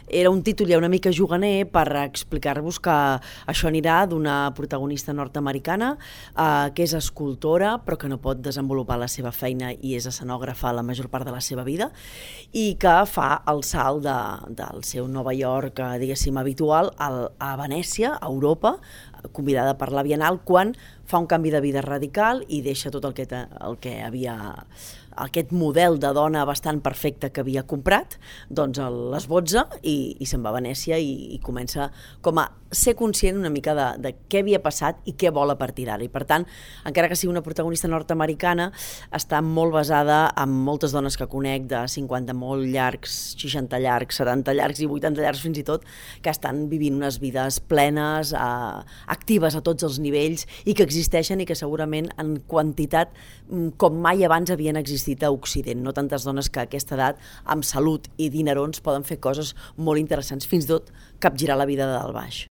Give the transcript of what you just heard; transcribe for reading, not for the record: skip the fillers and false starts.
Era un títol ja una mica juganer per explicar-vos que això anirà d'una protagonista nord-americana que és escultora però que no pot desenvolupar la seva feina i és escenògrafa la major part de la seva vida i que fa el salt del seu Nova York, diguéssim, habitual a Venècia, a Europa, convidada per la Bienal, quan fa un canvi de vida radical i deixa tot el que havia, aquest model de dona bastant perfecte que havia comprat, doncs l'esbotza i se'n va a Venècia i comença com a ser conscient una mica de què havia passat i què vol a partir d'ara. I per tant, encara que sigui una protagonista nord-americana, està molt basada en moltes dones que conec de 50 molt llargs, 60 llargs, 70 llargs i 80 llargs fins i tot, que estan vivint unes vides plenes, actives a tots els nivells i que existeixen i que segurament en quantitat com mai abans havien existit a Occident. No tantes dones que a aquesta edat, amb salut i dinerons, poden fer coses molt interessants, fins i tot capgirar la vida de dalt baix.